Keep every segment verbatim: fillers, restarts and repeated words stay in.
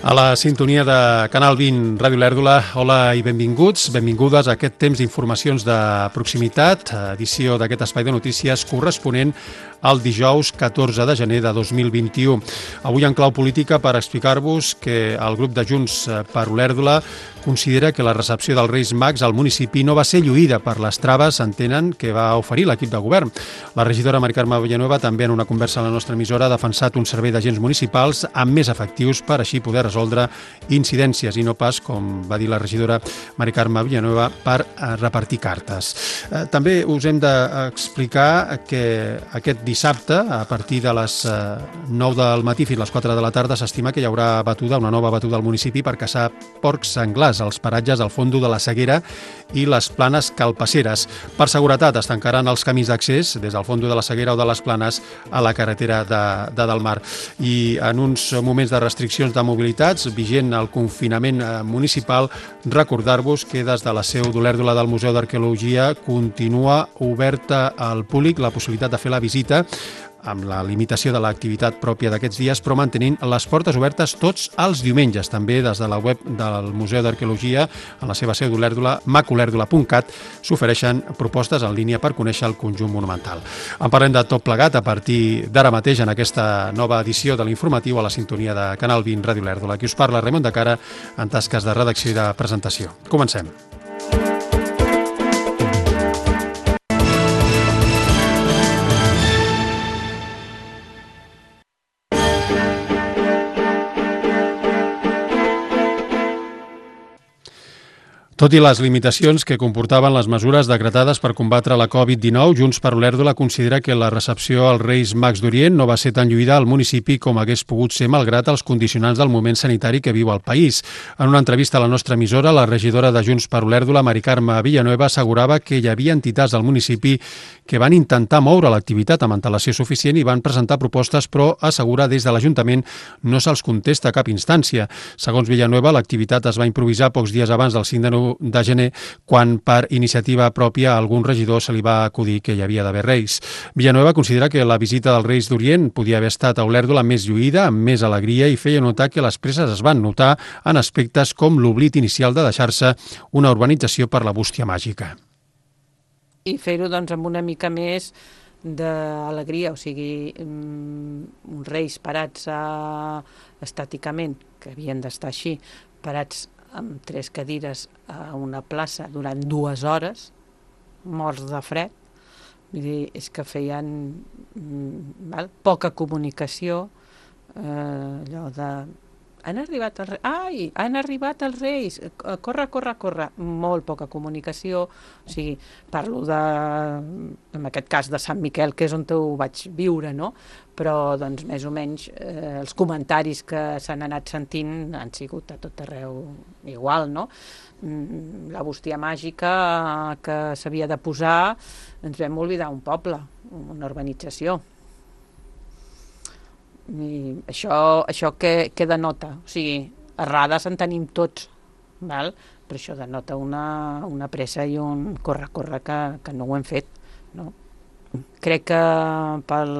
A la sintonia de Canal vint Ràdio Lèrdula, hola i benvinguts, benvingudes a aquest temps d'informacions de proximitat, edició d'aquest espai de notícies corresponent al dijous catorze de gener de dos mil vint-i-u. Avui en clau política per explicar-vos que el grup de Junts per Olèrdula considera que la recepció dels Reis Mags al municipi no va ser lluïda per les traves, entenen, que va oferir l'equip de govern. La regidora Mari Carme Villanueva també en una conversa a la nostra emissora ha defensat un servei d'agents municipals amb més efectius per així poder resoldre incidències i no pas, com va dir la regidora Mari Carme Villanueva, per repartir cartes. També us hem d'explicar que aquest dissabte, a partir de les nou del matí fins a les quatre de la tarda, s'estima que hi haurà batuda, una nova batuda al municipi per caçar porcs senglars als paratges al Fondo de la Seguera i les Planes Calpasseres. Per seguretat es tancaran els camins d'accés des del Fondo de la Seguera o de les Planes a la carretera de, de Delmar. I en uns moments de restriccions de mobilitats, vigent el confinament municipal, recordar-vos que des de la seu d'Olèrdula del Museu d'Arqueologia continua oberta al públic la possibilitat de fer la visita amb la limitació de l'activitat pròpia d'aquests dies, però mantenint les portes obertes tots els diumenges. També des de la web del Museu d'Arqueologia, a la seva seu d'Olèrdula, mac olèrdula punt cat, s'ofereixen propostes en línia per conèixer el conjunt monumental. En parlem de tot plegat a partir d'ara mateix en aquesta nova edició de l'informatiu a la sintonia de Canal vint Ràdio Lèrdula. Aquí us parla Raimon de Cara en tasques de redacció i de presentació. Comencem. Tot i les limitacions que comportaven les mesures decretades per combatre la covid dinou, Junts per Olèrdula considera que la recepció als Reis Mags d'Orient no va ser tan lluïda al municipi com hagués pogut ser malgrat els condicionants del moment sanitari que viu el país. En una entrevista a la nostra emissora, la regidora de Junts per Olèrdula, Mari Carme Villanueva, assegurava que hi havia entitats del municipi que van intentar moure l'activitat amb antelació suficient i van presentar propostes, però assegura des de l'Ajuntament no se'ls contesta a cap instància. Segons Villanueva, l'activitat es va improvisar pocs dies abans del cinc de gener, quan per iniciativa pròpia a algun regidor se li va acudir que hi havia d'haver reis. Villanueva considera que la visita dels Reis d'Orient podia haver estat a Olèrdula més lluïda, amb més alegria, i feia notar que les presses es van notar en aspectes com l'oblit inicial de deixar-se una urbanització per la bústia màgica. I fer-ho doncs amb una mica més d'alegria, o sigui, uns reis parats a, estàticament, que havien d'estar així, parats amb tres cadires a una plaça durant dues hores, morts de fred. Vull dir, és que feien val, poca comunicació, eh, allò de... Han arribat els reis, ai, han arribat els reis, corre, corre, corre, molt poca comunicació, o sigui, parlo de, en aquest cas de Sant Miquel, que és on ho vaig viure, no? Però, doncs, més o menys, eh, els comentaris que s'han anat sentint han sigut a tot arreu igual, no? La bústia màgica que s'havia de posar, ens vam oblidar un poble, una urbanització. I això, això què, què denota? O sigui, errades en tenim tots, val? Però això denota una, una pressa i un corre-corre que, que no ho hem fet, no? Crec que pel,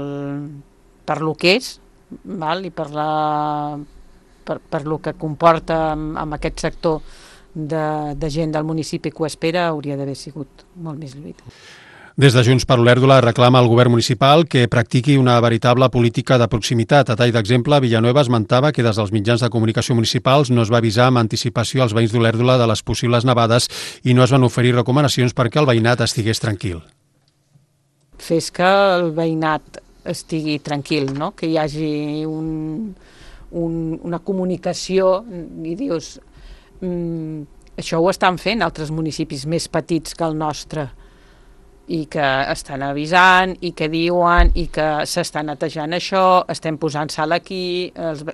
per lo que és, val? I per, la, per, per lo que comporta amb, amb aquest sector de, de gent del municipi que ho espera, hauria d'haver sigut molt més lluita. Des de Junts per Olèrdula reclama al govern municipal que practiqui una veritable política de proximitat. A tall d'exemple, Villanueva esmentava que des dels mitjans de comunicació municipals no es va avisar amb anticipació als veïns d'Olèrdula de les possibles nevades i no es van oferir recomanacions perquè el veïnat estigués tranquil. Fes que el veïnat estigui tranquil, no? Que hi hagi un, un, una comunicació i dius, mm, això ho estan fent altres municipis més petits que el nostre, i que estan avisant, i que diuen, i que s'està netejant això, estem posant sal aquí, els...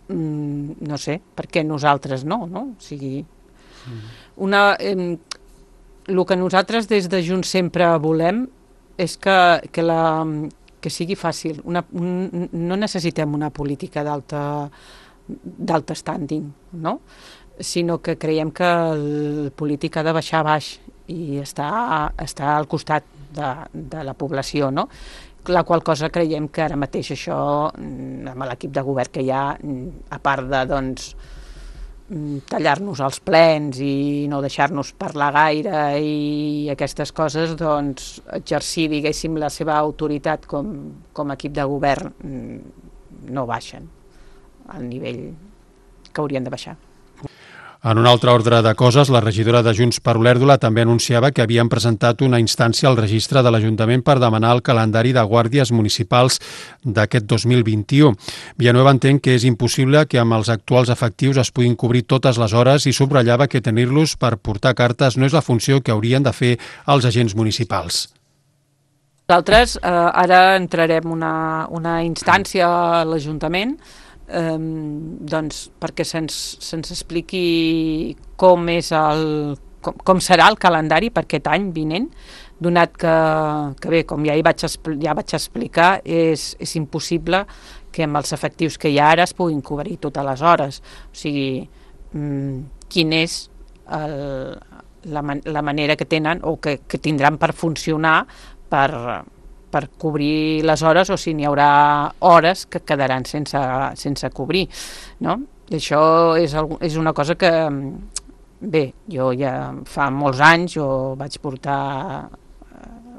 mm, no sé, per què nosaltres no, no? O sigui, una, eh, el que nosaltres des de Junts sempre volem és que, que, la, que sigui fàcil. Una, un, no necessitem una política d'alta d'alt standing, no? Sinó que creiem que el polític ha de baixar a baix i està, està al costat de, de la població, no? la qual cosa creiem que ara mateix això, amb l'equip de govern que hi ha, a part de doncs, tallar-nos els plens i no deixar-nos parlar gaire i aquestes coses, doncs exercir, diguéssim, la seva autoritat com, com a equip de govern no baixen al nivell que haurien de baixar. En un altre ordre de coses, la regidora de Junts per Olèrdola també anunciava que havien presentat una instància al registre de l'Ajuntament per demanar el calendari de guàrdies municipals d'aquest dos mil vint-i-u. Villanueva entén que és impossible que amb els actuals efectius es puguin cobrir totes les hores i subratllava que tenir-los per portar cartes no és la funció que haurien de fer els agents municipals. Nosaltres eh, ara entrarem una, una instància a l'Ajuntament Um, doncs perquè se'ns se'ns expliqui com és el com, com serà el calendari per aquest any vinent, donat que, que bé, com ja hi vaig, ja vaig explicar, és, és impossible que amb els efectius que hi ha ara es puguin cobrir totes les hores. O sigui, um, quin és el, la, man la manera que tenen o que, que tindran per funcionar per per cobrir les hores, o si n'hi haurà hores que quedaran sense, sense cobrir, no? I això és, és una cosa que, bé, jo ja fa molts anys jo vaig portar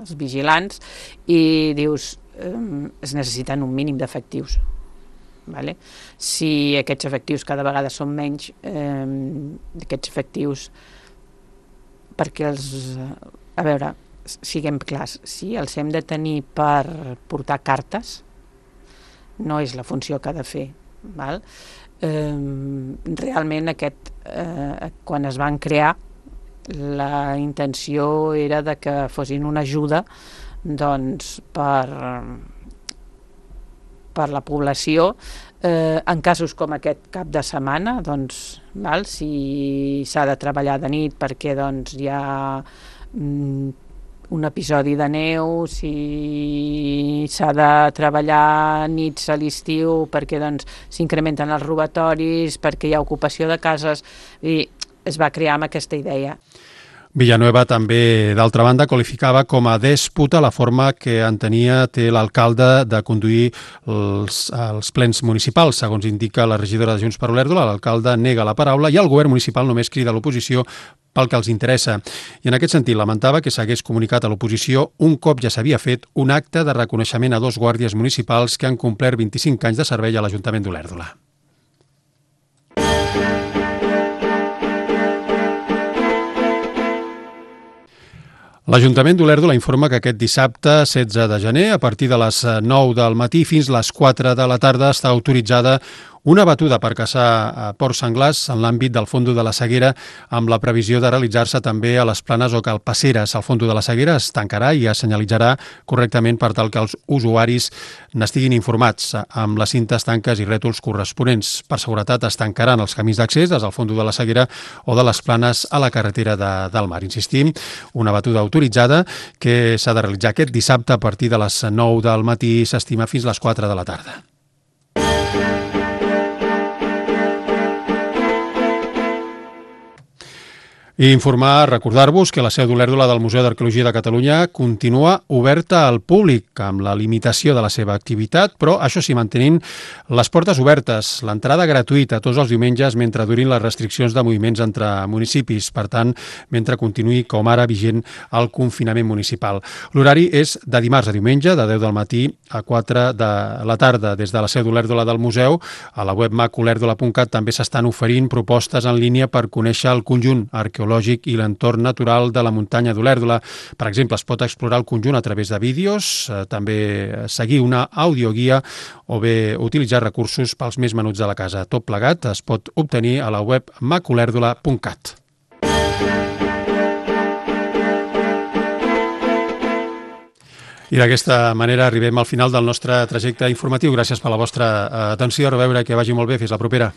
els vigilants i dius, eh, es necessiten un mínim d'efectius. Vale? Si aquests efectius cada vegada són menys, eh, aquests efectius, perquè els... A veure, siguem clars, si els hem de tenir per portar cartes, no és la funció que ha de fer. Val? Eh, realment, aquest, eh, quan es van crear, la intenció era de que fossin una ajuda doncs, per, per la població, eh, en casos com aquest cap de setmana, doncs, val? Si s'ha de treballar de nit perquè doncs, hi ha mm, un episodi de neu, si s'ha de treballar nits a l'estiu perquè doncs, s'incrementen els robatoris, perquè hi ha ocupació de cases, i es va crear amb aquesta idea. Villanueva també, d'altra banda, qualificava com a dèspota la forma que entenia té l'alcalde de conduir els, els plens municipals. Segons indica la regidora de Junts per Olèrdola, l'alcalde nega la paraula i el govern municipal només crida a l'oposició pel que els interessa. I en aquest sentit lamentava que s'hagués comunicat a l'oposició un cop ja s'havia fet un acte de reconeixement a dos guàrdies municipals que han complert vint-i-cinc anys de servei a l'Ajuntament d'Olèrdola. L'Ajuntament d'Olèrdola informa que aquest dissabte, setze de gener, a partir de les nou del matí fins les quatre de la tarda, està autoritzada una batuda per caçar porcs senglars en l'àmbit del Fondo de la Seguera, amb la previsió de realitzar-se també a les Planes o Calpaceres. El Fondo de la Seguera es tancarà i es senyalitzarà correctament per tal que els usuaris n'estiguin informats amb les cintes, tanques i rètols corresponents. Per seguretat es tancaran els camins d'accés des del Fondo de la Seguera o de les Planes a la carretera de, del Mar. Insistim, una batuda autoritzada que s'ha de realitzar aquest dissabte a partir de les nou del matí, s'estima fins les quatre de la tarda. I informar, recordar-vos que la seu d'Olèrdola del Museu d'Arqueologia de Catalunya continua oberta al públic amb la limitació de la seva activitat, però això sí, mantenint les portes obertes, l'entrada gratuïta tots els diumenges mentre durin les restriccions de moviments entre municipis, per tant, mentre continuï com ara vigent el confinament municipal. L'horari és de dimarts a diumenge, de deu del matí a quatre de la tarda. Des de la seu d'Olèrdola del museu, a la web mac olèrdola punt cat també s'estan oferint propostes en línia per conèixer el conjunt arqueològic i l'entorn natural de la muntanya d'Olèrdola. Per exemple, es pot explorar el conjunt a través de vídeos, eh, també seguir una audioguia o bé utilitzar recursos pels més menuts de la casa. Tot plegat es pot obtenir a la web mac olèrdola punt cat. I d'aquesta manera arribem al final del nostre trajecte informatiu. Gràcies per la vostra atenció. A reveure, que vagi molt bé. Fins la propera.